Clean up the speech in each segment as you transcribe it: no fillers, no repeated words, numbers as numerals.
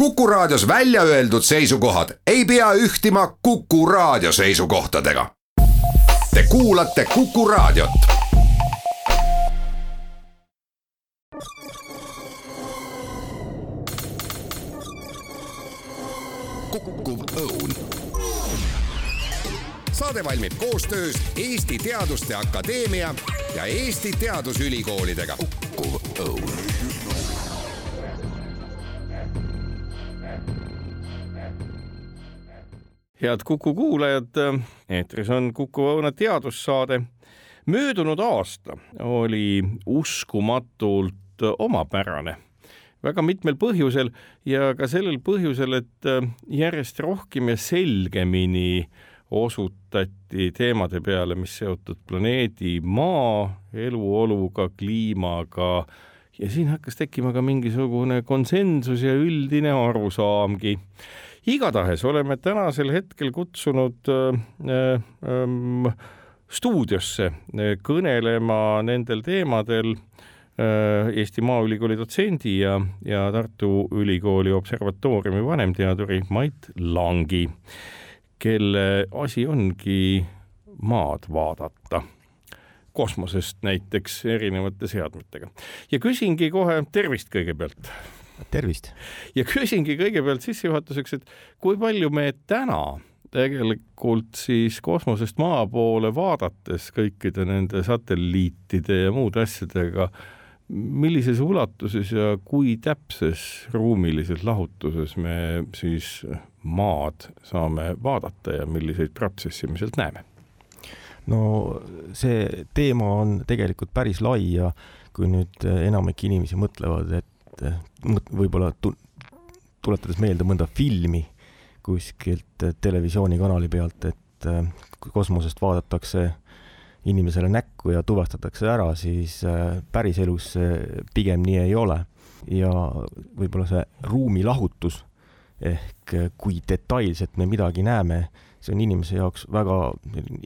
Kuku Raadios välja öeldud seisukohad ei pea ühtima Kuku Raadio seisukohtadega. Te kuulate Kuku Raadiot. Kukkuv õun. Saade valmib koostöös Eesti Teaduste Akadeemia ja Eesti Teadusülikoolidega. Kukkuv õun. Head Kuku kuulajad, eetris on Kuku Õuna teadussaade. Möödunud aasta oli uskumatult omapärane. Väga mitmel põhjusel ja ka sellel põhjusel, et järjest rohkem ja selgemini osutati teemade peale, mis seotud planeedi Maa, eluoluga, kliimaga ja siin hakkas tekkima ka mingisugune konsensus ja üldine arusaamgi. Igatahes oleme tänasel hetkel kutsunud stuudiosse kõnelema nendel teemadel Eesti Maaülikooli dotsendi ja Tartu Ülikooli observatooriumi vanemteaduri Mait Langi, kelle asi ongi maad vaadata kosmosest näiteks erinevate seadmetega. Ja küsingi kohe tervist kõigepealt. Tervist. Ja küsingi kõigepealt sissejuhatuseks, et kui palju me täna tegelikult siis kosmosest maa poole vaadates kõikide nende satelliitide ja muude asjadega, millises ulatuses ja kui täpses ruumilises lahutuses me siis maad saame vaadata ja milliseid protsessi me sealt näeme? No see teema on tegelikult päris lai ja kui nüüd enamik inimesi mõtlevad, et võib-olla tuletades meelde mõnda filmi kuskilt televisioonikanali pealt, et kosmosest vaadatakse inimesele näkku ja tuvastatakse ära, siis päris elus pigem nii ei ole. Ja võib-olla see ruumilahutus ehk kui detailselt me midagi näeme, see on inimese jaoks väga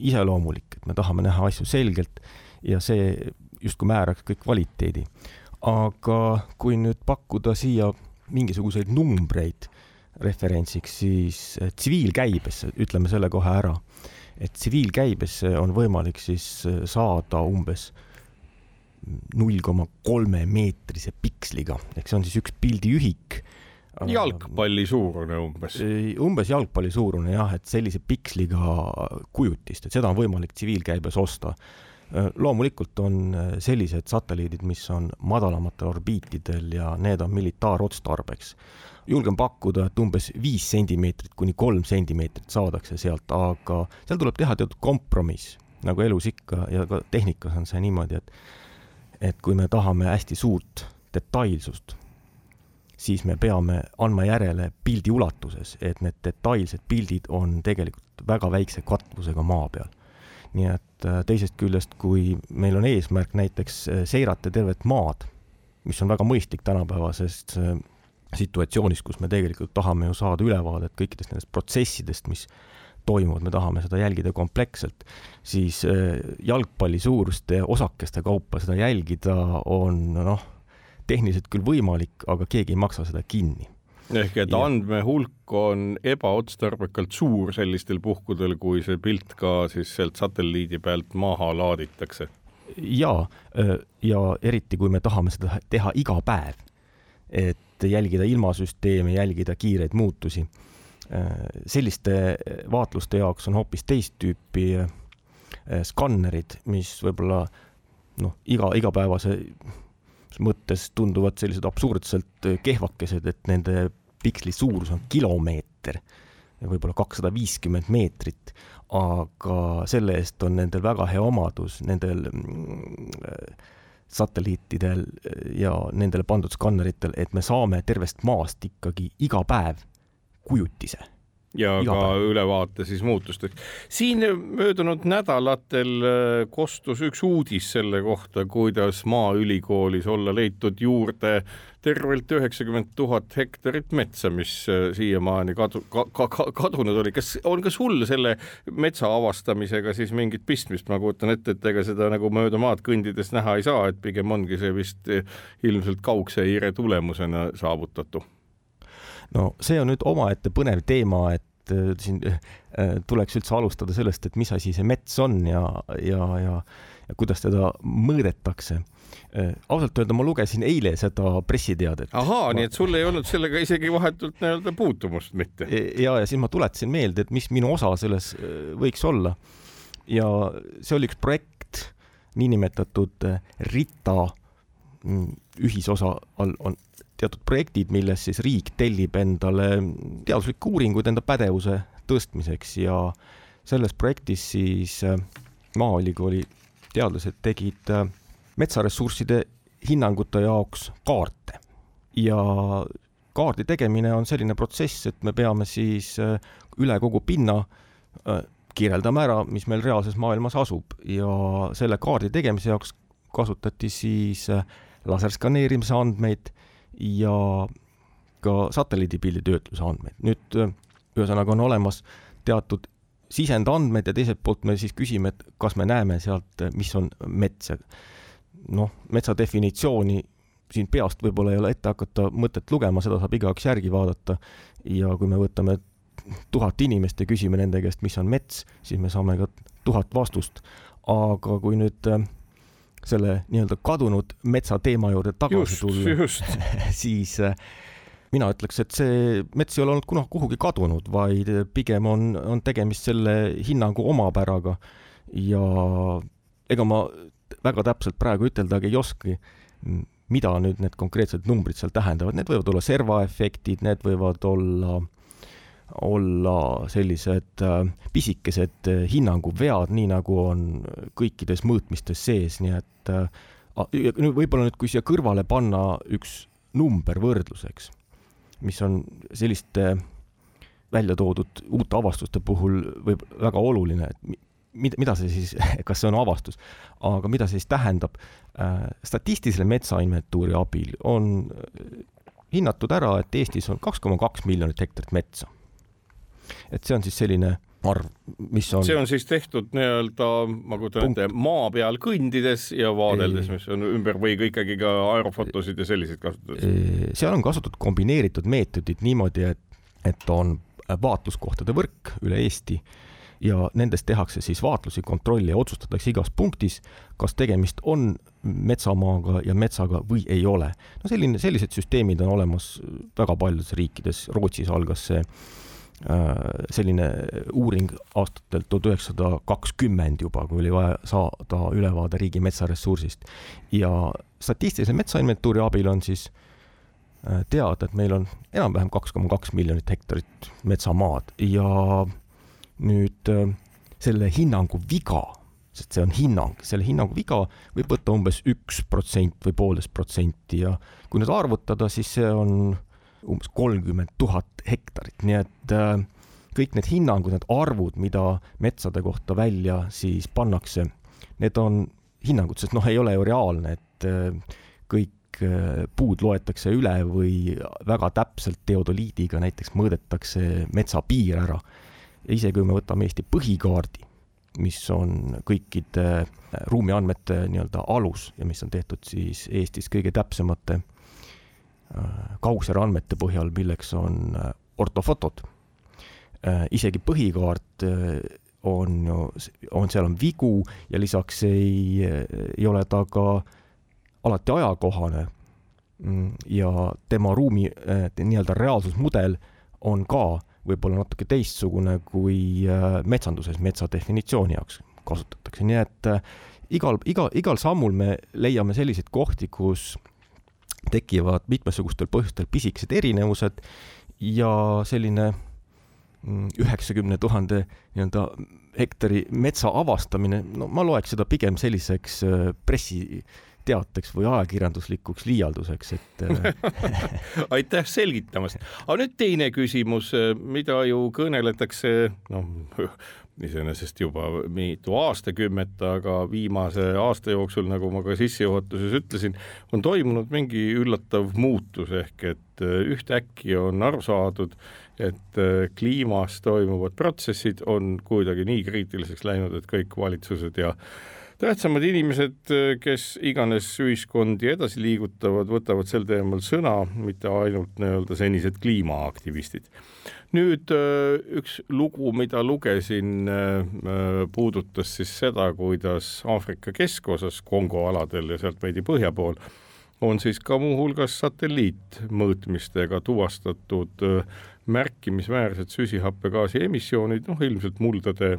iseloomulik, et me tahame näha asju selgelt ja see justkui määraks kõik kvaliteedi. Aga kui nüüd pakkuda siia mingisuguseid numbreid referentsiks, siis tsiviilkäibesse, ütleme selle kohe ära, et tsiviilkäibesse on võimalik siis saada umbes 0,3 meetrise piksliga, ehk see on siis üks pildiühik. Jalgpalli suurune umbes. Umbes jalgpalli suurune, jah, et sellise piksliga kujutist, et seda on võimalik tsiviilkäibes osta. Loomulikult on sellised satelliidid, mis on madalamatel orbiitidel ja need on militaarotstarbeks. Julgen pakkuda, et umbes 5 sentimeetrit kuni 3 sentimeetrit saadakse sealt, aga seal tuleb teha teatud kompromiss, nagu elus ikka ja ka tehnikas on see niimoodi, et kui me tahame hästi suurt detailsust, siis me peame andma järele pildi ulatuses, et need detailsed pildid on tegelikult väga väikse katvusega maa peal. Nii et teisest küljest, kui meil on eesmärk näiteks seirata tervet maad, mis on väga mõistlik tänapäevasest situatsioonis, kus me tegelikult tahame ju saada ülevaadet kõikidest nendest protsessidest, mis toimuvad, me tahame seda jälgida kompleksselt, siis jalgpalli suuruste osakeste kaupa seda jälgida on tehniliselt küll võimalik, aga keegi ei maksa seda kinni. Ehk et andmehulk on ebaotstarbekalt suur sellistel puhkudel, kui see pilt ka siis sealt satelliidi pealt maha laaditakse. Ja eriti kui me tahame seda teha iga päev, et jälgida ilmasüsteemi, jälgida kiireid muutusi. Selliste vaatluste jaoks on hoopis teist tüüpi skannerid, mis võib-olla igapäevase mõttes tunduvad sellised absurdselt kehvakesed, et nende piksli suurus on kilomeeter, võib-olla 250 meetrit, aga selle eest on nendel väga hea omadus, nendel satelliitidel ja nendele pandud skanneritel, et me saame tervest maast ikkagi iga päev kujutise. Ja ka ülevaate siis muutusteks. Siin möödunud nädalatel kostus üks uudis selle kohta, kuidas Maaülikoolis olla leitud juurde tervelt 90 000 hektarit metsa, mis siiamaani kadunud oli. Kas on ka sul selle metsa avastamisega siis mingit pistmist? Ma kuutan ette, et ega seda nagu mööda maad kõndides näha ei saa, et pigem ongi see vist ilmselt kaugse hiire tulemusena saavutatu. No see on nüüd omaette põnev teema, et siin tuleks üldse alustada sellest, et mis asi see mets on ja kuidas teda mõõdetakse. Ausalt öelda, ma lugesin eile seda pressiteadet. Ahaa, nii et sul ei olnud sellega isegi vahetult nii-öelda puutumust mitte. Ja siis ma tuletasin meelde, et mis minu osa selles võiks olla. Ja see oli üks projekt, niinimetatud RITA ühisosa all on teatud projektid, milles siis riik tellib endale teaduslikke uuringuid enda pädevuse tõstmiseks ja selles projektis siis Maaülikooli teadlased tegid metsaressursside hinnangute jaoks kaarte. Ja kaardi tegemine on selline protsess, et me peame siis üle kogu pinna kirjeldama ära, mis meil reaalses maailmas asub ja selle kaardi tegemise jaoks kasutati siis laserskaneerimise andmeid ja ka satelliidipildi töötluse andmeid. Nüüd ühesõnaga on olemas teatud sisendandmed ja teiselt poolt me siis küsime, et kas me näeme sealt, mis on mets. Noh, metsa definitsiooni siin peast võib-olla ei ole ette hakata mõtet lugema, seda saab igaks järgi vaadata ja kui me võtame 1000 inimest ja küsime nende käest, mis on mets, siis me saame ka 1000 vastust. Aga kui nüüd selle nii-öelda kadunud metsa teema juurde tagasi tulla, siis mina ütleks, et see mets ei ole olnud kunagi kuhugi kadunud, vaid pigem on tegemist selle hinnangu omapäraga ja ega ma väga täpselt praegu üteldagi ei oski, mida nüüd need konkreetsed numbrid seal tähendavad. Need võivad olla servaefektid, need võivad olla sellised pisikesed hinnanguvead, nii nagu on kõikides mõõtmistes sees, nii et võib-olla nüüd, kui siia kõrvale panna üks number võrdluseks, mis on selliste välja toodud uute avastuste puhul võib väga oluline, et mida see siis, kas see on avastus, aga mida see siis tähendab, statistilise metsainventuuri abil on hinnatud ära, et Eestis on 2,2 miljonit hektarit metsa. Et see on siis selline arv, mis on... See on siis tehtud nii-öelda, ma kujutan ette, maa peal kõndides ja vaadeldes, mis on ümber või ikkagi ka aerofotosid ja selliseid kasutatud? Seal on kasutatud kombineeritud meetodid niimoodi, et on vaatluskohtade võrk üle Eesti ja nendest tehakse siis vaatlusi, kontrolli ja otsustatakse igas punktis, kas tegemist on metsamaaga ja metsaga või ei ole. No sellised süsteemid on olemas väga paljudes riikides. Rootsis algas see selline uuring aastatel 1920 juba, kui oli vaja saada ülevaade riigi metsaressursist. Ja statistilise metsainventuuri abil on siis teada, et meil on enam-vähem 2,2 miljonit hektarit metsamaad ja nüüd selle hinnangu viga, sest see on hinnang, selle hinnangu viga võib võtta umbes 1% või 1,5% ja kui nüüd arvutada, siis see on umbes 30 000 hektarit, nii et kõik need hinnangud, need arvud, mida metsade kohta välja siis pannakse, need on hinnangud, sest ei ole ju reaalne, et kõik puud loetakse üle või väga täpselt teodoliidiga näiteks mõõdetakse metsapiir ära. Ja isegi kui me võtame Eesti põhikaardi, mis on kõikide ruumiandmete nii-öelda alus ja mis on tehtud siis Eestis kõige täpsemate kausjärandmete põhjal, milleks on ortofotod. Isegi põhikaart seal on vigu ja lisaks ei ole ta ka alati ajakohane ja tema ruumi nii-öelda reaalsusmudel on ka võib-olla natuke teistsugune kui metsanduses metsa definitsiooni jaoks kasutatakse. Nii et igal sammul me leiame selliseid kohti, kus tekivad mitmesugustel põhjustel pisikesed erinevused ja selline 90 000 nii-öelda hektari metsa avastamine, ma loeks seda pigem selliseks pressiteateks või ajakirjanduslikuks liialduseks, et aitäh selgitamast. Aga nüüd teine küsimus, mida ju kõneletakse, iseenesest juba mitu aastakümmet, aga viimase aasta jooksul, nagu ma ka sissejuhatuses ütlesin, on toimunud mingi üllatav muutus ehk et ühtäkki on aru saadud, et kliimas toimuvad protsessid on kuidagi nii kriitiliseks läinud, et kõik valitsused ja Tähtsamad inimesed, kes iganes ühiskondi edasi liigutavad, võtavad sel teemal sõna, mitte ainult nii-öelda senised kliimaaktivistid. Nüüd üks lugu, mida lugesin, puudutas siis seda, kuidas Aafrika keskosas Kongo aladel ja sealt veidi põhja pool on siis ka muuhulgas satelliitmõõtmistega tuvastatud märkimisväärsed süsihappegaasi emissioonid, ilmselt muldade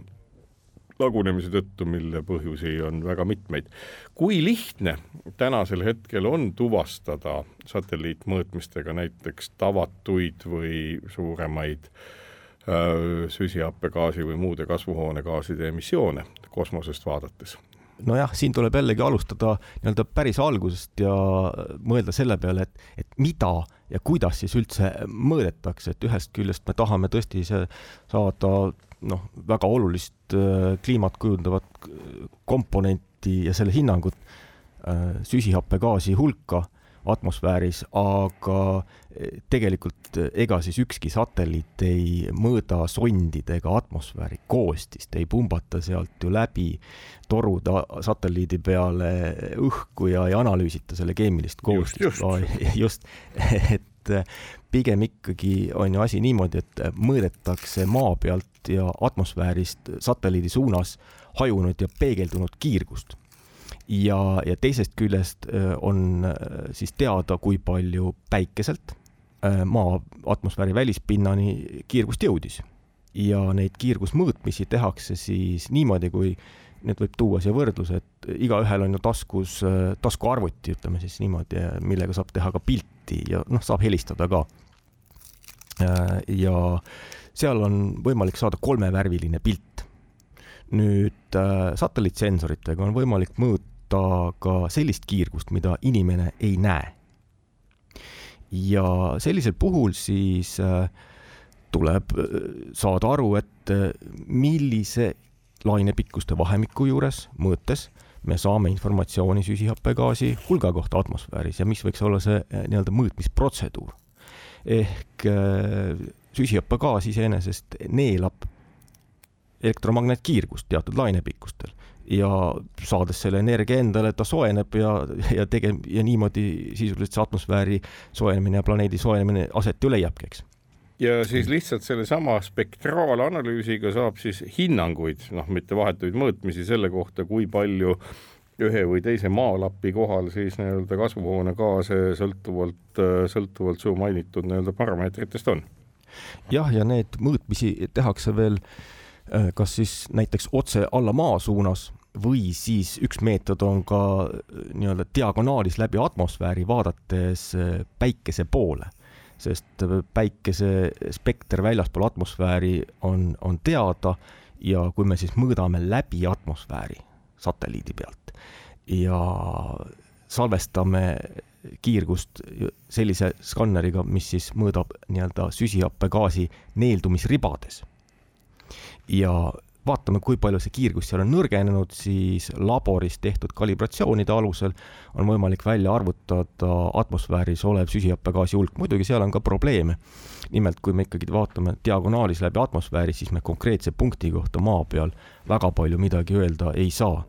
lagunemise tõttu, mille põhjusi on väga mitmeid. Kui lihtne tänasel hetkel on tuvastada satelliitmõõtmistega näiteks tavatuid või suuremaid süsihappegaasi või muude kasvuhoonegaaside emissioone kosmosest vaadates? Nojah, siin tuleb jällegi alustada nii-öelda päris algusest ja mõelda selle peale, et mida ja kuidas siis üldse mõõdetakse, et ühest küljest me tahame tõesti saada väga olulist kliimat kujundavat komponenti ja selle hinnangut süsihappegaasi hulka atmosfääris, aga tegelikult ega siis ükski satelliit ei mõõda sondidega atmosfääri koostist, ei pumbata sealt ju läbi toruda satelliidi peale õhku ja ei analüüsita selle keemilist koostist. Just, et pigem ikkagi on ju asi niimoodi, et mõõdetakse maa pealt ja atmosfäärist satelliidi suunas hajunud ja peegeldunud kiirgust. Ja teisest küljest on siis teada, kui palju päikeselt maa atmosfääri välispinnani kiirgust jõudis. Ja neid kiirgusmõõtmisi tehakse siis niimoodi, kui need võib tuua siia võrdlus, et igaühel on ju taskuarvuti, ütleme siis niimoodi, millega saab teha ka pilti ja saab helistada ka. Ja seal on võimalik saada 3-värviline pilt. Nüüd satelliitsensoritega on võimalik mõõta ka sellist kiirgust, mida inimene ei näe. Ja sellisel puhul siis tuleb saada aru, et millise lainepikkuste vahemiku juures mõõtes me saame informatsiooni süsihappegaasi hulga kohta atmosfääris ja mis võiks olla see nii-öelda mõõtmisprotseduur. Ehk süsihappegaas iseenesest neelab elektromagnetkiirgust teatud lainepikkustel ja saades selle energia endale, ta soojeneb ja niimoodi sisuliselt see atmosfääri soojenemine ja planeedi soojenemine aset ju leiabki, eks. Ja siis lihtsalt selle sama spektraalanalüüsiga saab siis hinnanguid, mitte vahetuid mõõtmisi selle kohta, kui palju ühe või teise maalapi kohal siis nii-öelda kasvuhoonegaase sõltuvalt su mainitud nii-öelda parameetritest on. Jah, ja need mõõtmisi tehakse veel kas siis näiteks otse alla maa suunas või siis üks meetod on ka nii-öelda diagonaalis läbi atmosfääri vaadates päikese poole. Sest päikese spekter väljaspool atmosfääri on teada ja kui me siis mõõdame läbi atmosfääri satelliidi pealt ja salvestame kiirgust sellise skanneriga, mis siis mõõdab nii-öelda süsihappegaasi neeldumisribades ja vaatame, kui palju see kiirgus seal on nõrgenenud, siis laboris tehtud kalibratsioonide alusel on võimalik välja arvutada atmosfääris olev süsihappegaasi hulk. Muidugi seal on ka probleeme. Nimelt, kui me ikkagi vaatame diagonaalis läbi atmosfääri, siis me konkreetse punkti kohta maa peal väga palju midagi öelda ei saa.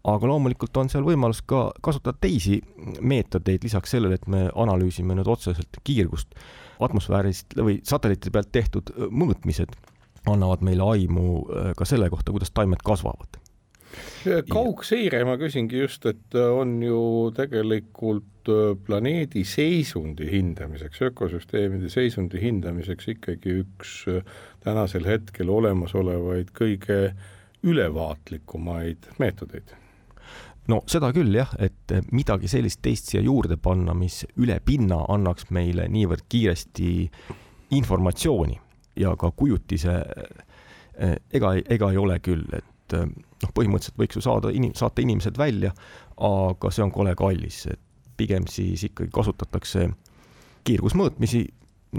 Aga loomulikult on seal võimalus ka kasutada teisi meetodeid lisaks sellele, et me analüüsime nüüd otseselt kiirgust atmosfäärist või satelliitide pealt tehtud mõõtmised annavad meile aimu ka selle kohta, kuidas taimed kasvavad. Kaugseire, ma küsingi just, et on ju tegelikult planeedi seisundi hindamiseks, ökosüsteemide seisundi hindamiseks ikkagi üks tänasel hetkel olemasolevaid kõige ülevaatlikumaid meetodeid. No seda küll jah, et midagi sellist teist siia juurde panna, mis üle pinna annaks meile niivõrd kiiresti informatsiooni ja ka kujutise ega ei ole küll, et põhimõtteliselt võiks ju saata inimesed välja, aga see on kole kallis. Pigem siis ikkagi kasutatakse kiirgusmõõtmisi,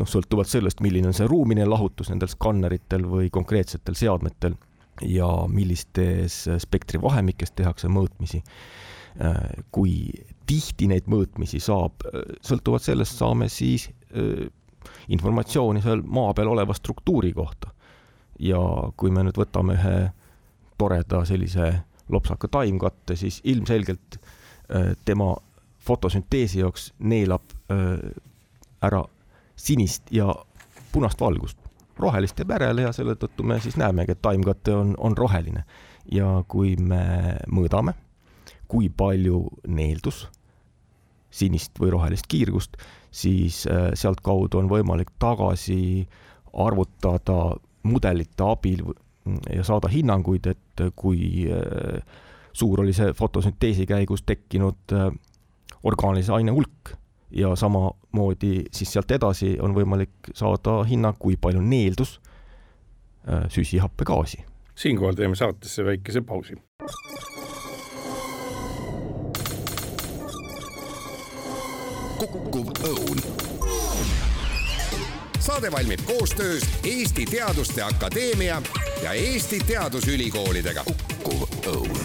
sõltuvalt sellest, milline on see ruumine lahutus nendel skanneritel või konkreetsetel seadmetel ja millistes spektri vahemikest tehakse mõõtmisi. Kui tihti neid mõõtmisi saab, sõltuvalt sellest saame siis informatsiooni seal maa peal oleva struktuuri kohta. Ja kui me nüüd võtame ühe toreda sellise lopsaka taimkatte, siis ilmselgelt tema fotosünteesi jaoks neelab ära sinist ja punast valgust. Rohelist jääb järele ja selle tõttu me siis näemegi, et taimkatte on roheline. Ja kui me mõõdame, kui palju neeldus sinist või rohelist kiirgust, siis sealt kaudu on võimalik tagasi arvutada mudelite abil ja saada hinnanguid, et kui suur oli see fotosünteesi käigus tekkinud orgaanilise aine hulk ja samamoodi siis sealt edasi on võimalik saada hinnang, kui palju neeldus süsihappegaasi. Siinkohal teeme saatesse väikese pausi. Kukkuv õun. Saade valmib koostöös Eesti Teaduste Akadeemia ja Eesti Teadusülikoolidega. Kukkuv õun.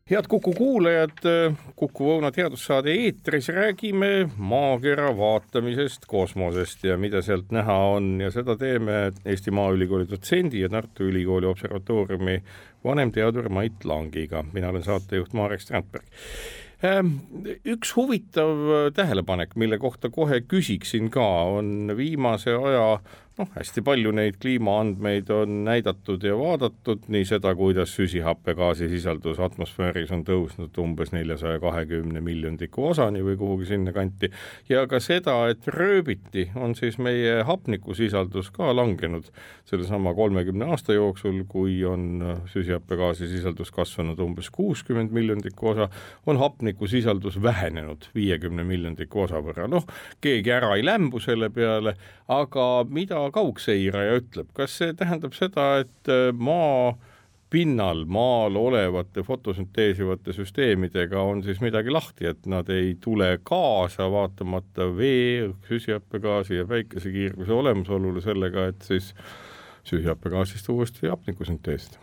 Head Kuku kuulajad, Kuku Õuna teadussaade eetris räägime maakera vaatamisest, kosmosest ja mida sealt näha on ja seda teeme Eesti Maaülikooli dotsendi ja Tartu Ülikooli observatooriumi vanemteadur Mait Langiga. Mina olen saatejuht Marek Strandberg. Üks huvitav tähelepanek, mille kohta kohe küsiksin ka, on viimase aja hästi palju neid kliimaandmeid on näidatud ja vaadatud, nii seda, kuidas süsihappegaasi sisaldus atmosfääris on tõusnud umbes 420 miljoniku osani või kuhugi sinna kanti, ja ka seda, et rööbiti on siis meie hapnikusisaldus ka langenud sellesama 30 aasta jooksul, kui on süsihappegaasi sisaldus kasvanud umbes 60 miljoniku osa, on hapnikusisaldus vähenenud 50 miljoniku osa võrra. Keegi ära ei lämbu selle peale, aga mida kaugseiraja ütleb? Kas see tähendab seda, et maa pinnal, maal olevate fotosünteesivate süsteemidega on siis midagi lahti, et nad ei tule kaasa vaatamata vee, süsihappegaasi ja päikesekiirguse olemasolule sellega, et siis süsihappegaasist uuesti hapnikusünteesida?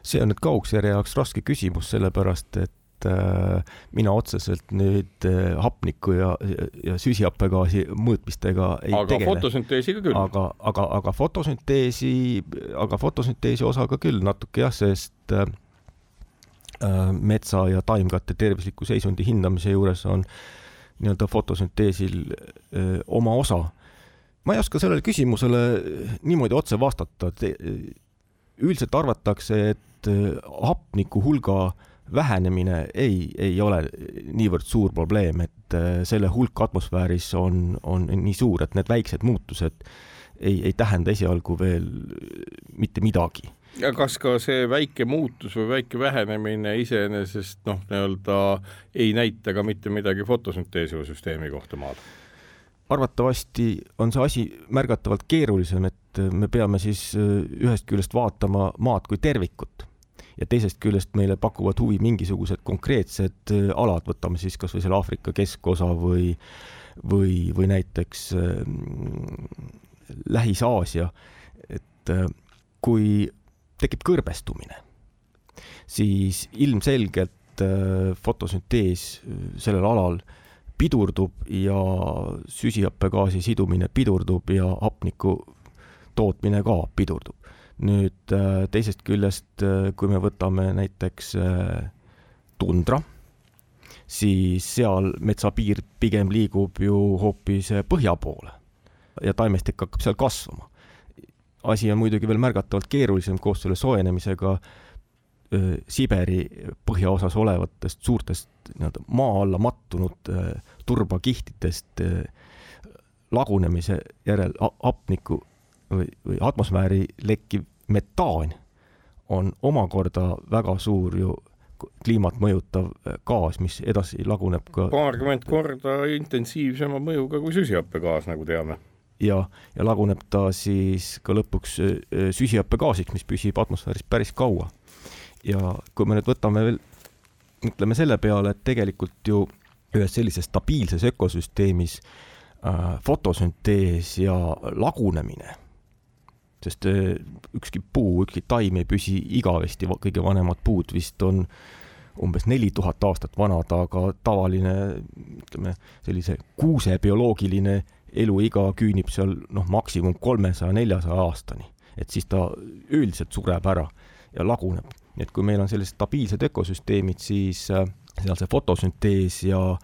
See on nüüd kaugseiraja jaoks raske küsimus, sellepärast, et mina otseselt nüüd hapniku ja süsihappegaasi mõõtmistega ei tegele. Fotosünteesiga küll. Aga fotosünteesi osaga küll natuke jah, sest metsa ja taimkatte tervisliku seisundi hindamise juures on nii-öelda fotosünteesil oma osa. Ma ei oska sellele küsimusele niimoodi otse vastata. Üldiselt arvatakse, et hapniku hulga vähenemine ei ole niivõrd suur probleem, et selle hulk atmosfääris on nii suur, et need väiksed muutused ei tähenda esialgu veel mitte midagi. Ja kas ka see väike muutus või väike vähenemine iseenesest ei näita ka mitte midagi fotosünteesiva süsteemi kohta maal? Arvatavasti on see asi märgatavalt keerulisem, et me peame siis ühest küljest vaatama maad kui tervikut. Ja teisest küljest meile pakuvad huvi mingisugused konkreetsed alad, võtame siis kas või selle Aafrika keskosa või näiteks Lähis-Aasia, et kui tekib kõrbestumine, siis ilmselgelt fotosüntees sellel alal pidurdub ja süsihappegaasi sidumine pidurdub ja hapniku tootmine ka pidurdub. Nüüd teisest küljest, kui me võtame näiteks tundra, siis seal metsapiir pigem liigub ju hoopis põhja poole ja taimestik hakkab seal kasvama. Asi on muidugi veel märgatavalt keerulisem koos selle soojenemisega Siberi põhjaosas olevatest suurtest maa alla mattunud turbakihtidest lagunemise järel hapniku või atmosfääri lekkiv metaan on omakorda väga suur ju kliimat mõjutav gaas, mis edasi laguneb ka 20 korda intensiivsema mõjuga kui süsihappegaas, nagu teame. Ja laguneb ta siis ka lõpuks süsihappegaasiks, mis püsib atmosfääris päris kaua. Ja kui me nüüd võtame veel, mõtleme selle peale, et tegelikult ju ühes sellises stabiilses ökosüsteemis fotosüntees ja lagunemine, sest ükski puu, ükski taim ei püsi igavesti, kõige vanemad puud vist on umbes 4000 aastat vanad, aga tavaline, ütleme, sellise kuuse bioloogiline eluiga küünib seal maksimum 300-400 aastani, et siis ta üldiselt sureb ära ja laguneb. Nii et kui meil on sellised stabiilsed ökosüsteemid, siis seal see fotosüntees ja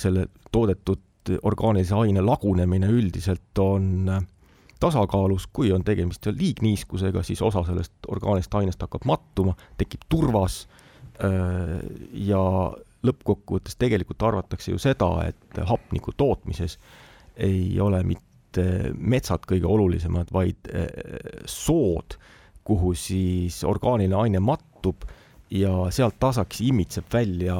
selle toodetud orgaanilise aine lagunemine üldiselt on tasakaalus, kui on tegemist liigniiskusega, siis osa sellest orgaanilist ainest hakkab mattuma, tekib turvas ja lõppkokkuvõttes tegelikult arvatakse ju seda, et hapniku tootmises ei ole mitte metsad kõige olulisemad, vaid sood, kuhu siis orgaaniline aine mattub ja sealt tasaks imitseb välja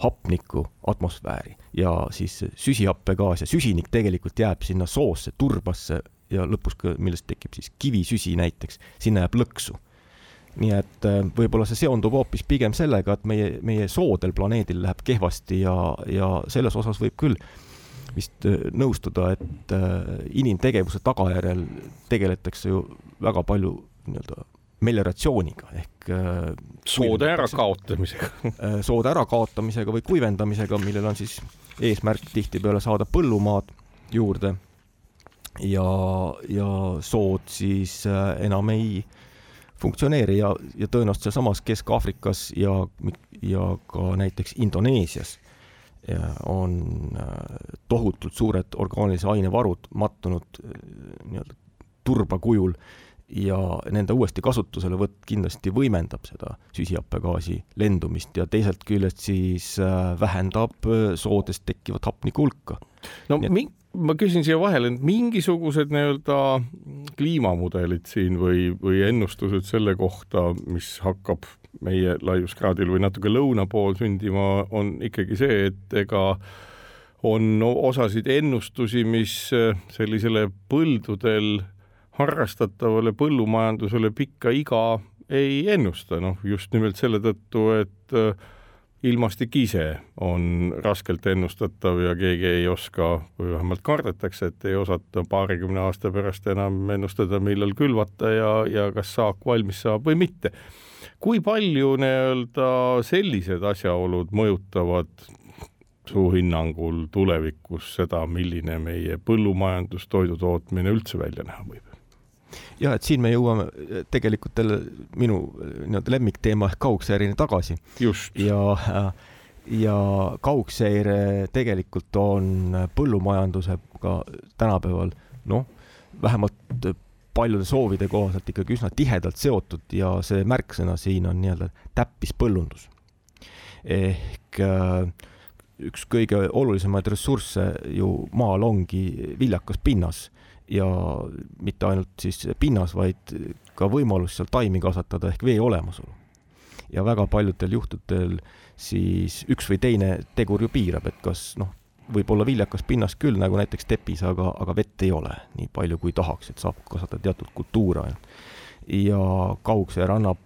hapniku atmosfääri ja siis süsihappegaas ja süsinik tegelikult jääb sinna soosse, turbasse ja lõpus, millest tekib siis kivisüsi näiteks, sinna jääb lõksu. Nii et võib-olla see seondub hoopis pigem sellega, et meie soodel planeedil läheb kehvasti ja selles osas võib küll vist nõustuda, et inimtegevuse tagajärjel tegeletakse ju väga palju melioratsiooniga ehk soode ärakaotamisega või kuivendamisega, millel on siis eesmärk tihtipeale saada põllumaad juurde ja sood siis enam ei funktsioneeri ja tõenäoliselt sealsamas Kesk-Aafrikas ja ka näiteks Indoneesias on tohutult suured orgaanilise ainevarud mattunud turba kujul ja nende uuesti kasutusele võtt kindlasti võimendab seda süsihappegaasi lendumist ja teiselt küljest siis vähendab soodest tekkivat hapniku hulka. No ma küsin siia vahele, et mingisugused kliimamudelid siin või ennustused selle kohta, mis hakkab meie laiuskraadil või natuke lõuna pool sündima, on ikkagi see, et ega on osasid ennustusi, mis sellisele põldudel harrastatavale põllumajandusele pikka iga ei ennusta, just nimelt selle tõttu, et ilmastik ise on raskelt ennustatav ja keegi ei oska või vähemalt kardetakse, et ei osata 20 aasta pärast enam ennustada, millal külvata ja kas saak valmis saab või mitte. Kui palju sellised asjaolud mõjutavad su hinnangul tulevikus seda, milline meie põllumajandus, toidutootmine üldse välja näha võib? Ja, et siin me jõuame tegelikult minu lemmikteema ehk kaugseireni tagasi. Just. Ja kaugseire tegelikult on põllumajandusega tänapäeval, vähemalt paljude soovide kohaselt ikkagi üsna tihedalt seotud ja see märksõna siin on täppispõllundus. Ehk üks kõige olulisemaid ressursse ju maal ongi viljakas pinnas ja mitte ainult siis pinnas, vaid ka võimalus seal taimi kasvatada ehk vee olemasolu. Ja väga paljudel juhtudel siis üks või teine tegur ju piirab, et kas võib olla viljakas pinnas küll, nagu näiteks tepis, aga vett ei ole nii palju kui tahaks, et saab kasvatada teatud kultuura. Ja kaugseer annab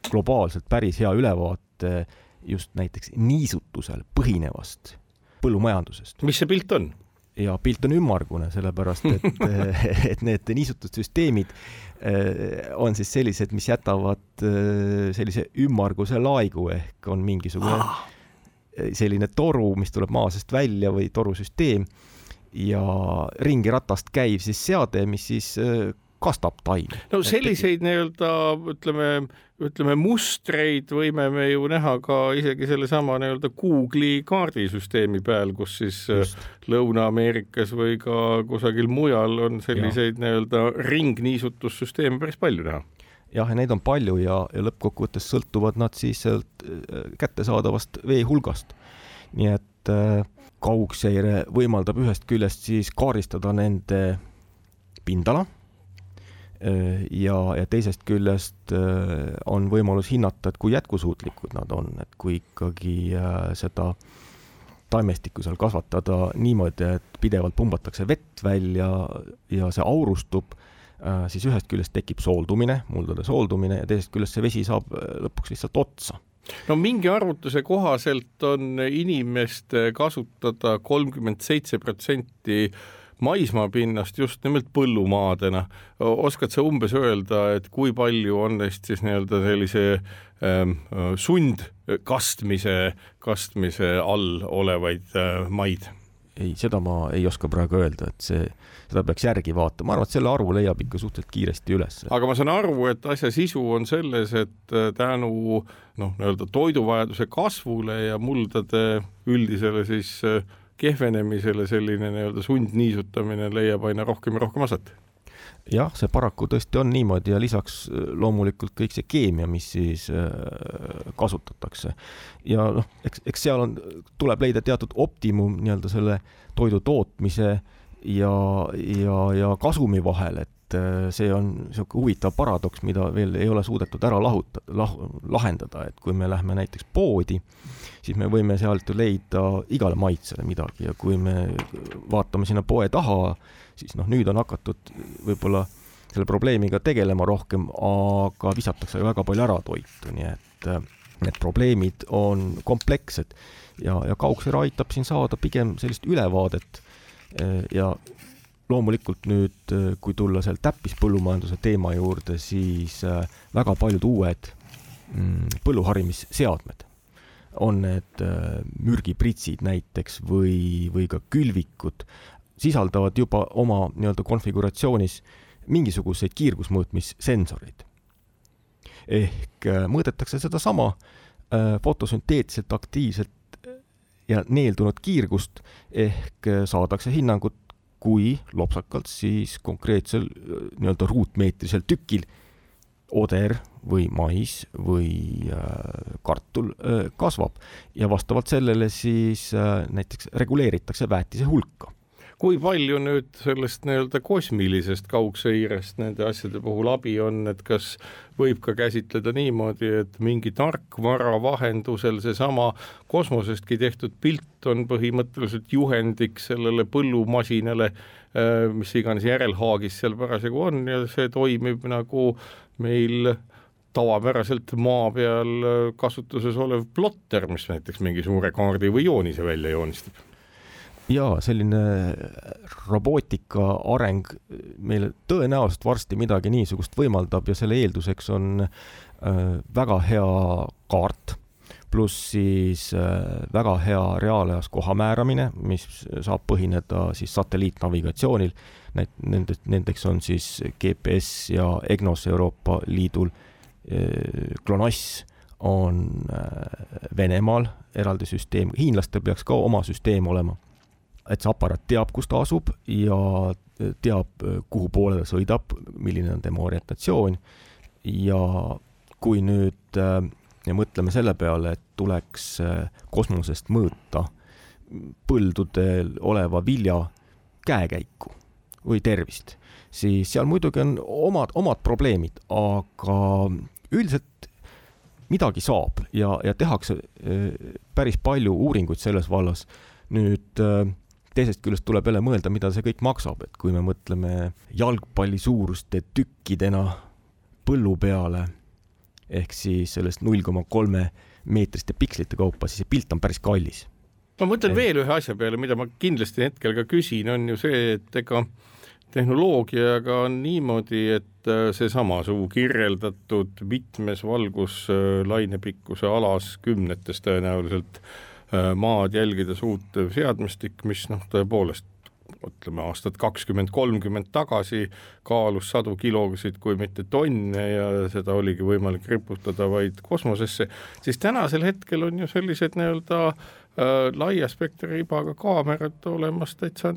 globaalselt päris hea ülevaate just näiteks niisutusel põhinevast põllumajandusest. Mis see pilt on? Ja pilt on ümmargune, sellepärast, et need niisutussüsteemid on siis sellised, mis jätavad sellise ümmarguse laigu ehk on mingisugune selline toru, mis tuleb maa seest välja või torusüsteem ja ringi ratast käiv siis seade, mis siis kastab taimi. No selliseid ütleme mustreid võime me ju näha ka isegi sellesama Google'i kaardisüsteemi peal, kus siis Lõuna-Ameerikas või ka kusagil mujal on selliseid ringniisutussüsteeme päris palju näha. Jah, ja neid on palju ja lõppkokkuvõttes sõltuvad nad siis kättesaadavast vee hulgast. Nii et kaugseire võimaldab ühest küljest siis kaaristada nende pindala ja teisest küljest on võimalus hinnata, et kui jätkusuutlikud nad on, et kui ikkagi seda taimestikku seal kasvatada niimoodi, et pidevalt pumbatakse vett välja ja see aurustub, siis ühest küljest tekib sooldumine, muldade sooldumine ja teisest küljest see vesi saab lõpuks lihtsalt otsa. No mingi arvutuse kohaselt on inimeste kasutada 37% maismaapinnast just nimelt põllumaadena. Oskad sa umbes öelda, et kui palju on neist siis sellise sundkastmise all olevaid maid? ei, seda ma ei oska praegu öelda, et seda peaks järgi vaatama. Ma arvan, et selle arvu leiab ikka suhteliselt kiiresti üles. Aga ma saan aru, et asja sisu on selles, et tänu toiduvajaduse kasvule ja muldade üldisele siis kehvenemisele selline sundniisutamine leiab aina rohkem ja rohkem asat. Jah, see paraku tõesti on niimoodi ja lisaks loomulikult kõik see keemia, mis siis kasutatakse. Ja eks seal tuleb leida teatud optimum selle toidu tootmise ja kasumi vahel, et see on huvitav paradoks, mida veel ei ole suudetud ära lahendada, et kui me lähme näiteks poodi, siis me võime sealt leida igale maitsele midagi ja kui me vaatame sinna poe taha, siis nüüd on hakatud võib-olla selle probleemiga tegelema rohkem, aga visatakse väga palju ära toitu, nii et need probleemid on komplekssed ja Kauksera aitab siin saada pigem sellist ülevaadet ja loomulikult nüüd, kui tulla seal täppispõllumajanduse teema juurde, siis väga paljud uued põlluharimisseadmed on need mürgipritsid näiteks või ka külvikud, sisaldavad juba oma konfiguratsioonis mingisuguseid kiirgusmõõtmissensoreid. Ehk mõõdetakse seda sama fotosünteetselt aktiivselt ja neeldunud kiirgust ehk saadakse hinnangut, kui lopsakalt siis konkreetsel ruutmeetrisel tükil oder või mais või kartul kasvab ja vastavalt sellele siis näiteks reguleeritakse väetise hulka. Kui palju nüüd sellest kosmilisest kaugseirest nende asjade puhul abi on, et kas võib ka käsitleda niimoodi, et mingi tarkvara vahendusel seesama kosmosestki tehtud pilt on põhimõtteliselt juhendiks sellele põllumasinale, mis iganes järelhaagis seal parasjagu on ja see toimib nagu meil tavapäraselt maa peal kasutuses olev plotter, mis näiteks mingi suure kaardi või joonise välja joonistab. Jaa, selline robootika areng meile tõenäoliselt varsti midagi niisugust võimaldab ja selle eelduseks on väga hea kaart, pluss siis väga hea reaalajas koha määramine, mis saab põhineda siis satelliitnavigatsioonil. Nendeks on siis GPS ja EGNOS Euroopa Liidul. GLONASS on Venemaal eraldi süsteem. Hiinlastel peaks ka oma süsteem olema. Et see aparaat teab, kus ta asub ja teab, kuhu poole ta sõidab, milline on tema orientatsioon ja kui nüüd mõtleme selle peale, et tuleks kosmosest mõõta põldudel oleva vilja käekäiku või tervist, siis seal muidugi on omad probleemid, aga üldiselt midagi saab ja tehakse päris palju uuringuid selles vallas. Nüüd teisest küljest tuleb jälle mõelda, mida see kõik maksab, et kui me mõtleme jalgpalli suuruste tükkidena põllu peale, ehk siis sellest 0,3 meetriste pikslite kaupa, siis see pilt on päris kallis. Ma mõtlen veel ühe asja peale, mida ma kindlasti hetkel ka küsin, on ju see, et ega tehnoloogiaga on niimoodi, et seesama suu kirjeldatud mitmes valguslainepikkuse alas 10 tõenäoliselt maad jälgida suutev seadmestik, mis tõepoolest mõtleme aastat 20-30 tagasi kaalus 100 kilosid, kui mitte tonne ja seda oligi võimalik riputada vaid kosmosesse, siis tänasel hetkel on ju sellised laia spektriibaga kaamerad olemas täitsa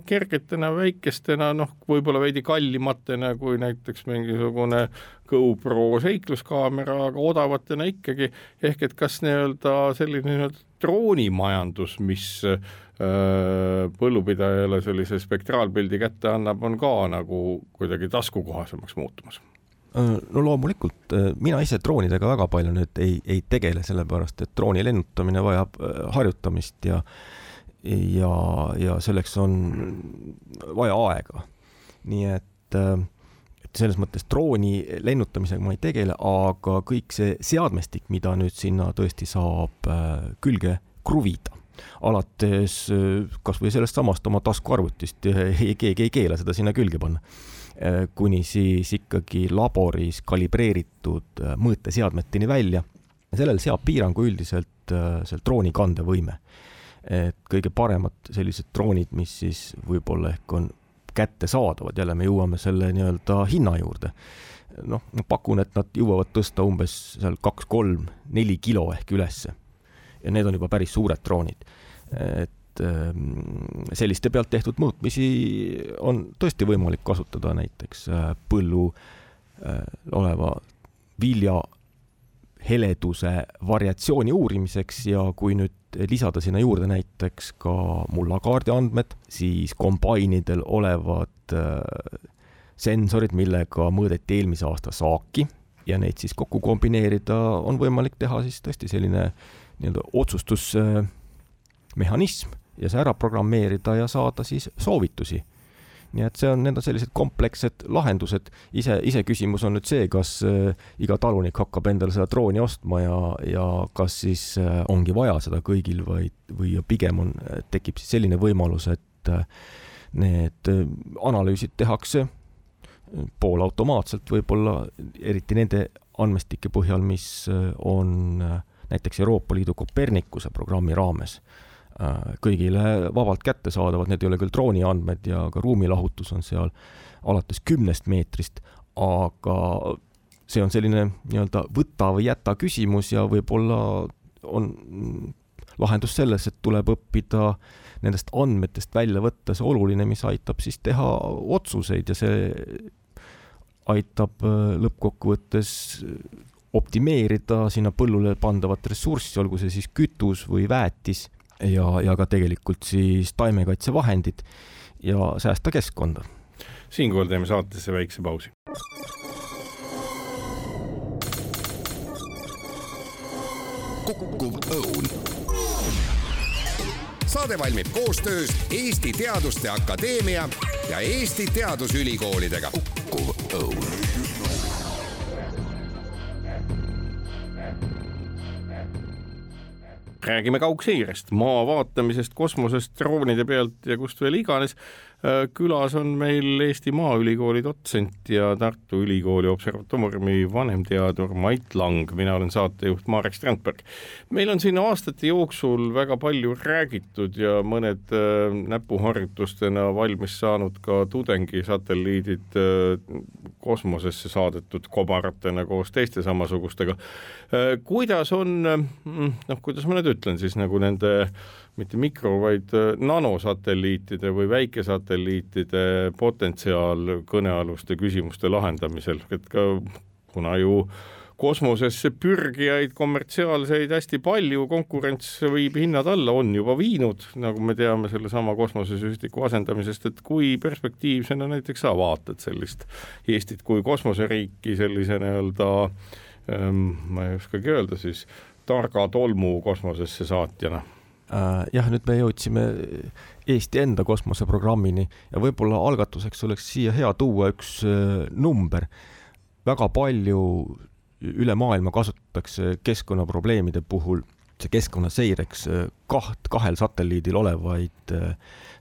kergetena, väikestena, võib-olla veidi kallimatena kui näiteks mingisugune GoPro seikluskaamera, aga odavatena ikkagi, ehk et kas selline droonimajandus, mis põllupidajale sellise spektraalpildi kätte annab, on ka nagu kuidagi taskukohasemaks muutumas? No loomulikult, mina ise droonidega väga palju nüüd ei tegele, sellepärast, et drooni lennutamine vajab harjutamist ja selleks on vaja aega. Nii et selles mõttes drooni lennutamisega ma ei tegele, aga kõik see seadmestik, mida nüüd sinna tõesti saab külge kruvida, alates kas või sellest samast oma taskuarvutist, keegi ei keela seda sinna külge panna, kuni siis ikkagi laboris kalibreeritud mõõteseadmeteni välja. Sellel seab piirangu üldiselt seal drooni kandevõime. et kõige paremad sellised droonid, mis siis võib-olla ehk on kätte saadavad, jälle me jõuame selle nii-öelda hinna juurde. Noh, ma pakun, et nad jõuavad tõsta umbes seal 2-3-4 kilo ehk ülesse. Ja need on juba päris suured droonid. Et selliste pealt tehtud mõõtmisi on tõesti võimalik kasutada näiteks põllu oleva vilja heleduse variatsiooni uurimiseks ja kui nüüd lisada sinna juurde näiteks ka mullakaardi andmed, siis kombainidel olevad sensorid, millega mõõdeti eelmise aasta saaki ja neid siis kokku kombineerida, on võimalik teha siis tõesti selline nii-öelda otsustusmehhanism ja see ära programmeerida ja saada siis soovitusi. Nii et need on sellised komplekssed lahendused. Ise küsimus on nüüd see, kas iga talunik hakkab endale seda drooni ostma ja kas siis ongi vaja seda kõigil või pigem tekib siis selline võimalus, et need analüüsid tehakse poolautomaatselt võib-olla, eriti nende andmestike põhjal, mis on näiteks Euroopa Liidu Copernicuse programmi raames kõigile vabalt kätte saadavad, need ei ole küll drooni andmed ja ka ruumilahutus on seal alates 10 meetrist, aga see on selline nii-öelda võta või jäta küsimus ja võib-olla on lahendus selles, et tuleb õppida nendest andmetest välja võtta see oluline, mis aitab siis teha otsuseid ja see aitab lõppkokkuvõttes optimeerida sinna põllule pandavat ressurssi, olgu see siis kütus või väetis ja ka tegelikult siis taimekaitsevahendid ja säästa keskkonda. Siinkohal teeme saatesse väikse pausi. Kukkuv õun. Saade valmib koostöös Eesti Teaduste Akadeemia ja Eesti Teadusülikoolidega. Kukkuv õun. Räägime kaugseirest, maa vaatamisest, kosmosest, droonide pealt ja kust veel iganes. Külas on meil Eesti Maaülikooli dotsent ja Tartu Ülikooli observatooriumi vanemteadur Mait Lang. Mina olen saatejuht Marek Strandberg. Meil on siin aastate jooksul väga palju räägitud ja mõned näpuharjutustena valmis saanud ka tudengisatelliidid kosmosesse saadetud kobaratena koos teiste samasugustega. Kuidas on, kuidas ma nüüd ütlen siis nagu nende mitte mikro, vaid nanosatelliitide või väikesatelliitide potentsiaal kõnealuste küsimuste lahendamisel, et ka kuna ju kosmosesse pürgijaid kommertsiaalseid hästi palju, konkurents võib hinnad alla on juba viinud, nagu me teame selle sama kosmosesüstiku asendamisest, et kui perspektiivsena näiteks sa vaatad sellist Eestit kui kosmoseriiki sellise nii-öelda, ma ei oskagi öelda siis, targa tolmu kosmosesse saatjana. Jah, nüüd me jõudsime Eesti enda kosmoseprogrammini ja võib-olla algatuseks oleks siia hea tuua üks number. Väga palju üle maailma kasutatakse keskkonnaprobleemide puhul see keskkonnaseireks kahel satelliidil olevaid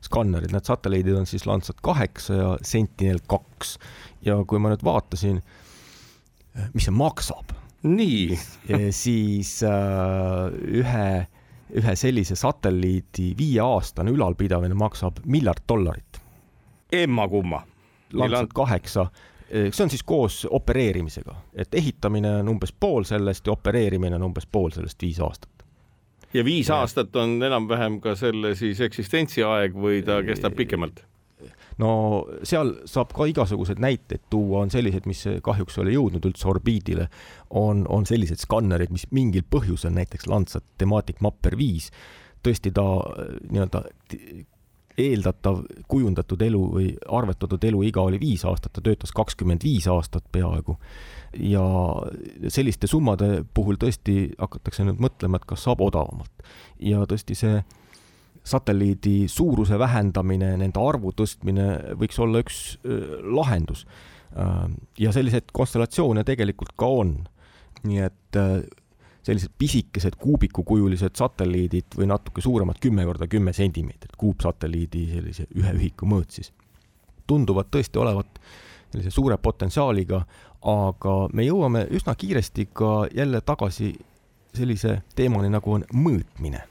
skannerid. Need satelliidid on siis Landsat 8 ja Sentinel-2 ja kui ma nüüd vaatasin, mis see maksab, nii. siis ühe sellise satelliidi 5-aastane ülalpidamine maksab $1 miljard. Emma kumma. Landsat 8, see on siis koos opereerimisega, et ehitamine on umbes pool sellest ja opereerimine on umbes pool sellest 5 aastat. Ja 5 aastat on enam-vähem ka selle siis eksistentsiaeg või ta kestab pikemalt? No seal saab ka igasugused näiteid tuua, on sellised, mis kahjuks ole jõudnud üldse orbiidile, on sellised skannerid, mis mingil põhjusel, näiteks Landsat Thematic Mapper 5, tõesti ta nii-öelda eeldatav kujundatud elu või arvetatud elu iga oli 5 aastat, ta töötas 25 aastat peaaegu ja selliste summade puhul tõesti hakatakse nüüd mõtlema, et kas saab odavamalt ja tõesti see satelliidi suuruse vähendamine, nende arvu tõstmine võiks olla üks lahendus. Ja sellised konstellatsioone tegelikult ka on. Nii et sellised pisikesed kuubikukujulised satelliidid või natuke suuremad 10x10 sentimeetrit kuupsatelliidi sellise ühe ühiku mõõt siis tunduvad tõesti olevat sellise suure potentsiaaliga, aga me jõuame üsna kiiresti ka jälle tagasi sellise teemani nagu on mõõtmine.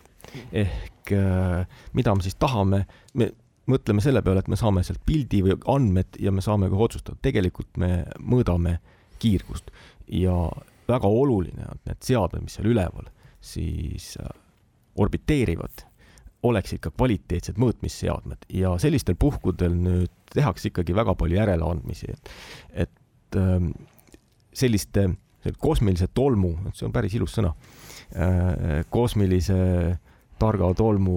Ehk mida me siis tahame, me mõtleme selle peale, et me saame sealt pildi või andmed ja me saame ka otsustada. Tegelikult me mõõdame kiirgust ja väga oluline on need seadmed, mis seal üleval siis orbiteerivad, oleksid ka kvaliteetsed mõõtmisseadmed ja sellistel puhkudel nüüd tehakse ikkagi väga palju järeleandmisi, et selliste kosmilise tolmu, see on päris ilus sõna, kosmilise targa tolmu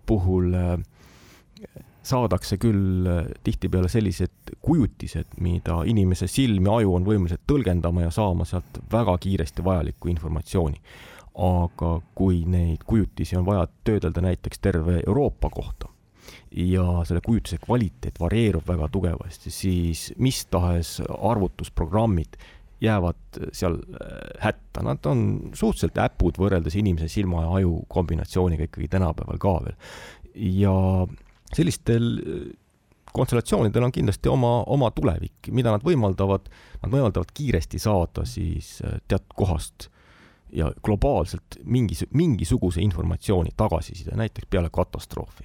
puhul saadakse küll tihtipeale sellised kujutised, mida inimese silm ja aju on võimelised tõlgendama ja saama sealt väga kiiresti vajalikku informatsiooni. Aga kui neid kujutisi on vaja töödelda näiteks terve Euroopa kohta ja selle kujutise kvaliteet varieerub väga tugevasti, siis mis tahes arvutusprogrammid jäävad seal hätta. Nad on suhteliselt äpud võrreldes inimese silma ja aju kombinatsiooniga ikkagi tänapäeval ka veel. Ja sellistel konstellatsioonidel on kindlasti oma tulevik, mida nad võimaldavad kiiresti saada siis teatud kohast ja globaalselt mingisuguse informatsiooni tagasiside, näiteks peale katastroofi.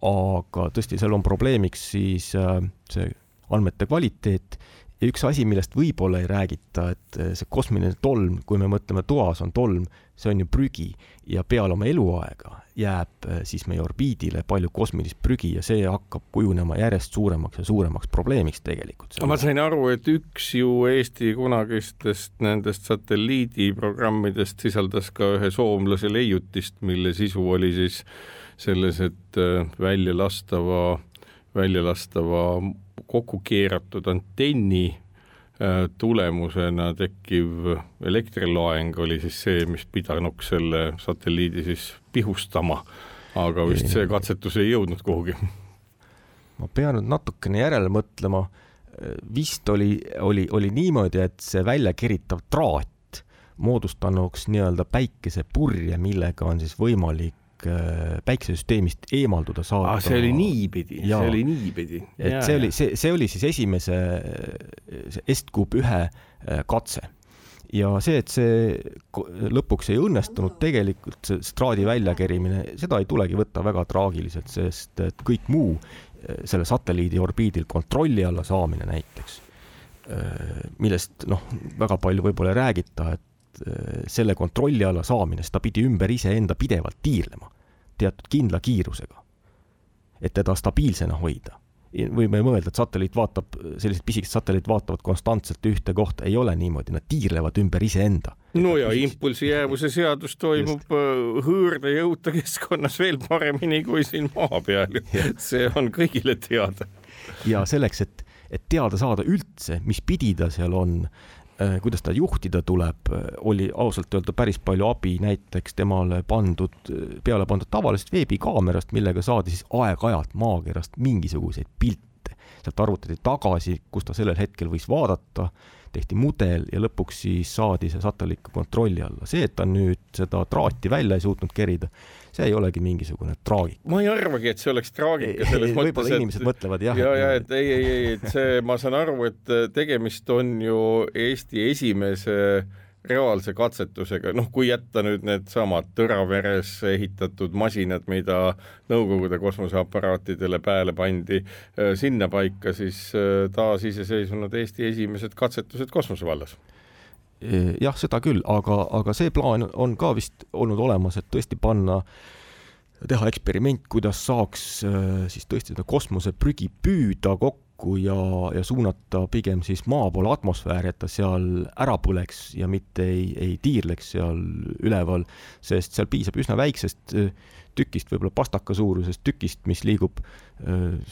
Aga tõesti, seal on probleemiks siis see andmete kvaliteet ja üks asi, millest võib-olla ei räägita, et see kosmiline tolm, kui me mõtleme toas on tolm, see on ju prügi ja peale oma eluaega jääb siis meie orbiidile palju kosmilist prügi ja see hakkab kujunema järjest suuremaks ja suuremaks probleemiks tegelikult. Ma sain aru, et üks ju Eesti kunagistest nendest satelliidiprogrammidest sisaldas ka ühe soomlase leiutist, mille sisu oli siis selles, et väljalastava kokku keeratud antenni tulemusena tekkiv elektrilaeng oli siis see, mis pidanuks selle satelliidi siis pihustama, aga vist see katsetus ei jõudnud kuhugi. Ma pean nüüd natukene järele mõtlema. Vist oli niimoodi, et see väljakeritav traat moodustanuks nii-öelda päikesepurje, millega on siis võimalik päikesesüsteemist eemalduda saada. See oli niipidi. See oli siis esimese Est-Cube 1 katse. Ja see, et see lõpuks ei õnnestunud tegelikult see straadi väljakerimine, seda ei tulegi võtta väga traagiliselt, sest et kõik muu selle satelliidi orbiidil kontrolli alla saamine näiteks, millest väga palju võib-olla ei räägita, et selle kontrolli alla saamine, seda pidi ümber iseenda pidevalt tiirlema teatud kindla kiirusega, et teda stabiilsena hoida. Võime mõelda, et sellised pisikesed satelliit vaatavad konstantselt ühte kohta, ei ole niimoodi, nad tiirlevad ümber iseenda. No ja impulsi jäävuse seadus toimub hõõrde jõuta keskkonnas veel paremini kui siin maa peal. See on kõigile teada. Ja selleks, et teada saada üldse, mis pidi ta seal on, kuidas ta juhtida tuleb, oli ausalt öelda päris palju abi näiteks temale peale pandud tavalisest veebikaamerast, millega saadi siis aeg-ajalt maakerast mingisuguseid pilte. Sealt arvutati tagasi, kus ta sellel hetkel võis vaadata, tehti mudel ja lõpuks siis saadi see satelliit kontrolli alla. See, et ta nüüd seda traati välja ei suutnud kerida, see ei olegi mingisugune traagika. Ma ei arvagi, et see oleks traagika selles mõttes, võib-olla inimesed mõtlevad, jah. Et see, ma saan aru, et tegemist on ju Eesti esimese reaalse katsetusega, kui jätta nüüd need samad Tõraveres ehitatud masinad, mida Nõukogude kosmoseaparaatidele pääle pandi sinna paika, siis taas iseseisvunud Eesti esimesed katsetused kosmosevallas. Jah, seda küll, aga see plaan on ka vist olnud olemas, et tõesti teha eksperiment, kuidas saaks siis tõesti seda kosmoseprügi püüda kokku ja suunata pigem siis maa poole atmosfääri, et ta seal ära põleks ja mitte ei tiirleks seal üleval, sest seal piisab üsna väiksest tükist, võib-olla pastaka suurusest tükist, mis liigub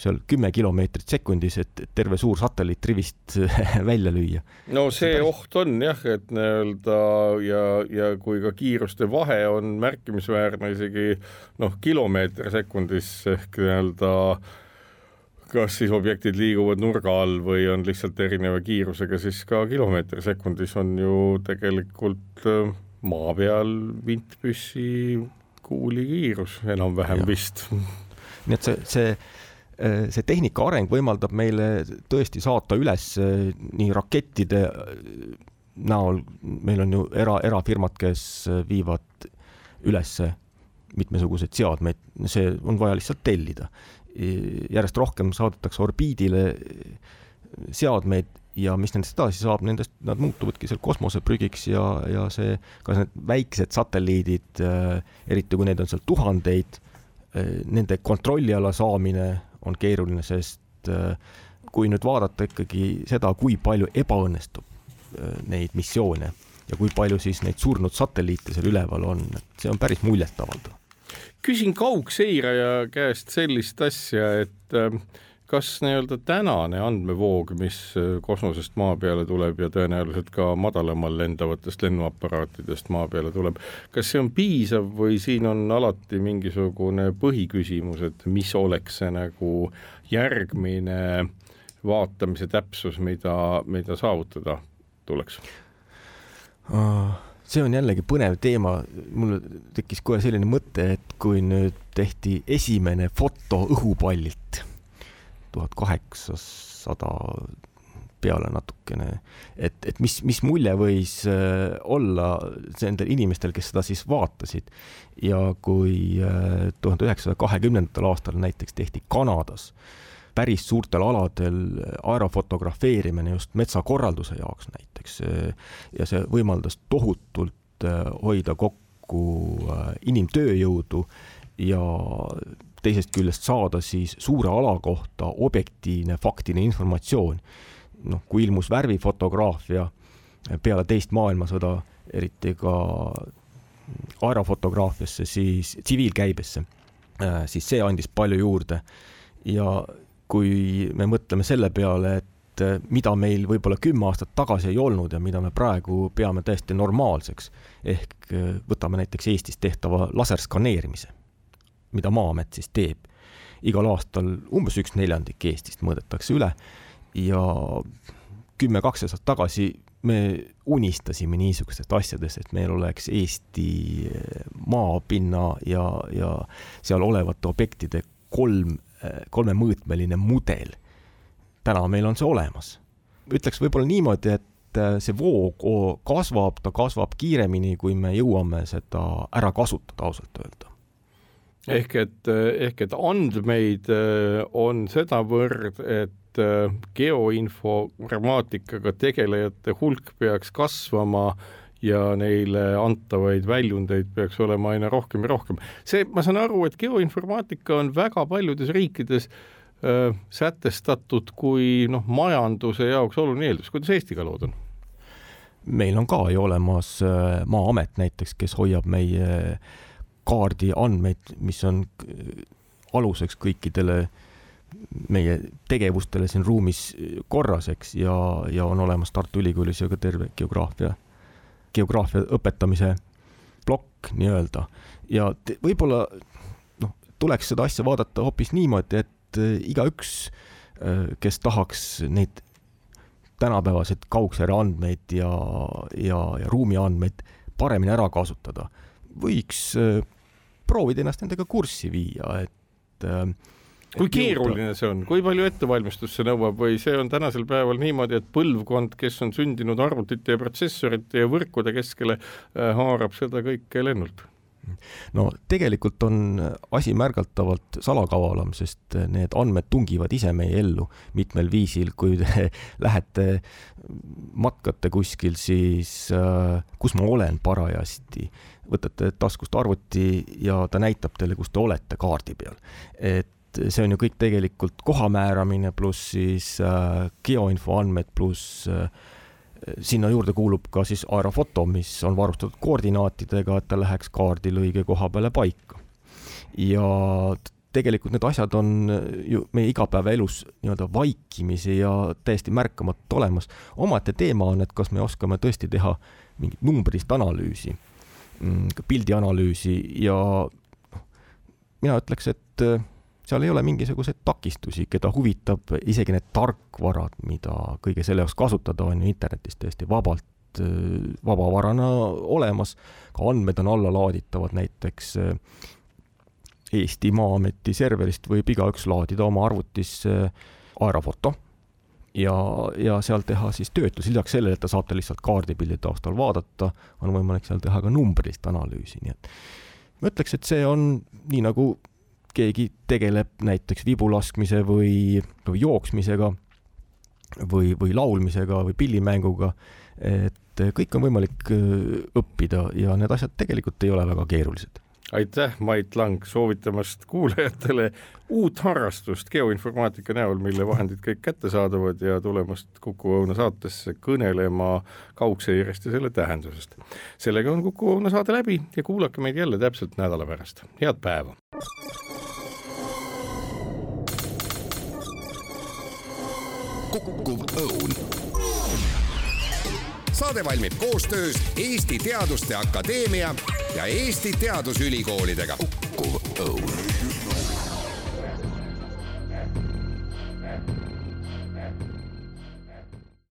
seal 10 kilomeetrit sekundis, et terve suur satelliit rivist välja lüüa. No see oht on jah, et ja kui ka kiiruste vahe on märkimisväärne isegi kilomeeter sekundis ehk kas siis objektid liiguvad nurga all või on lihtsalt erineva kiirusega, siis ka kilomeetri sekundis on ju tegelikult maa peal vintpüssi kuuli kiirus enam-vähem vist. Nii et see tehnika areng võimaldab meile tõesti saata üles nii rakettide näol, meil on ju erafirmad, kes viivad üles mitmesuguseid seadmeid, see on vaja lihtsalt tellida. Järjest rohkem saadetakse orbiidile seadmeid ja mis nendest edasi saab, nendest nad muutuvadki seal kosmoseprügiks ja see, ka need väiksed satelliidid, eriti kui neid on seal tuhandeid, nende kontrolliala saamine on keeruline, sest kui nüüd vaadata ikkagi seda, kui palju ebaõnnestub neid missioone ja kui palju siis neid surnud satelliite seal üleval on, see on päris muljetavaldav. Küsin kaugseiraja käest sellist asja, et kas nii-öelda tänane andmevoog, mis kosmosest maa peale tuleb ja tõenäoliselt ka madalamal lendavatest lennuaparaatidest maa peale tuleb, kas see on piisav või siin on alati mingisugune põhiküsimus, et mis oleks see nagu järgmine vaatamise täpsus, mida saavutada tuleks? See on jällegi põnev teema. Mul tekkis kohe selline mõte, et kui nüüd tehti esimene foto õhupallilt 1800 peale natukene, et mis mulje võis olla nendel inimestel, kes seda siis vaatasid. Ja kui 1920. aastal näiteks tehti Kanadas päris suurtel aladel aerofotografeerimine just metsakorralduse jaoks näiteks ja see võimaldas tohutult hoida kokku inimtööjõudu ja teisest küljest saada siis suure ala kohta objektiivne faktiline informatsioon. Kui ilmus värvifotograafia peale teist maailmasõda, eriti ka aerofotograafiasse, siis tsiviilkäibesse, siis see andis palju juurde ja kui me mõtleme selle peale, et mida meil võib-olla 10 aastat tagasi ei olnud ja mida me praegu peame täiesti normaalseks, ehk võtame näiteks Eestis tehtava laserskaneerimise, mida Maa-amet siis teeb. Igal aastal umbes 1/4 Eestist mõõdetakse üle ja 10-12 aastat tagasi me unistasime niisugustest asjadest, et meil oleks Eesti maapinna ja seal olevate objektide kolmemõõtmeline mudel. Täna meil on see olemas. Ütleks võib-olla niimoodi, et see voog kasvab, ta kasvab kiiremini, kui me jõuame seda ära kasutada, ausalt öelda. Ehk et andmeid on sedavõrd, et geoinformaatikaga tegelejate hulk peaks kasvama ja neile antavaid väljundeid peaks olema aina rohkem ja rohkem. Ma saan aru, et geoinformaatika on väga paljudes riikides sätestatud kui majanduse jaoks oluline eeldus. Kuidas Eestiga lood on? Meil on ka ju olemas Maa-amet näiteks, kes hoiab meie kaardi andmeid, mis on aluseks kõikidele meie tegevustele siin ruumis korraseks ja on olemas Tartu Ülikoolis ja ka terve geograafia õpetamise plokk nii-öelda. Ja võib-olla tuleks seda asja vaadata hoopis niimoodi, et igaüks, kes tahaks neid tänapäevased kaugsääre andmeid ja ruumi andmeid paremini ära kasutada, võiks proovida ennast nendega kurssi viia, et kui keeruline see on, kui palju ettevalmistust see nõuab või see on tänasel päeval niimoodi, et põlvkond, kes on sündinud arvutite ja protsessorite ja võrkude keskele, haarab seda kõike lennult? Tegelikult on asi märgatavalt salakavalam, sest need andmed tungivad ise meie ellu mitmel viisil, kui te lähete matkate kuskil, siis kus ma olen parajasti, võtate taskust arvuti ja ta näitab teile, kus te olete kaardi peal. Et see on ju kõik tegelikult koha määramine pluss siis geoinfo andmed pluss sinna juurde kuulub ka siis aerofoto, mis on varustatud koordinaatidega, et ta läheks kaardil õige koha peale paika. Ja tegelikult need asjad on ju meie igapäevaelus nii-öelda vaikimisi ja täiesti märkamata olemas. Omate teema on, et kas me oskame tõesti teha mingit numbrist analüüsi, pildianalüüsi ja mina ütleks, et seal ei ole mingisuguseid takistusi, keda huvitab isegi need tarkvarad, mida kõige selle jaoks kasutada on ju internetis tõesti vabavarana olemas. Ka andmed on alla laaditavad, näiteks Eesti Maa-ameti serverist võib igaüks laadida oma arvutisse aerofoto ja seal teha siis töötlus. Lisaks sellele, et ta saate lihtsalt kaardipildi taustal vaadata, on võimalik seal teha ka numbrilist analüüsi. Nii et ma ütleks, et see on nii nagu keegi tegeleb näiteks vibulaskmise või jooksmisega või laulmisega või pillimänguga, et kõik on võimalik õppida ja need asjad tegelikult ei ole väga keerulised. Aitäh, Mait Lang, soovitamast kuulajatele uut harrastust geoinformaatika näol, mille vahendid kõik kättesaadavad ja tulemast Kuku Õuna saatesse kõnelema kaugseirest ja selle tähendusest. Sellega on Kuku Õuna saade läbi ja kuulake meid jälle täpselt nädala pärast. Head päeva! Kuku Õun. Saade valmib koostöös Eesti Teaduste Akadeemia ja Eesti Teadusülikoolidega. Kuku Õun.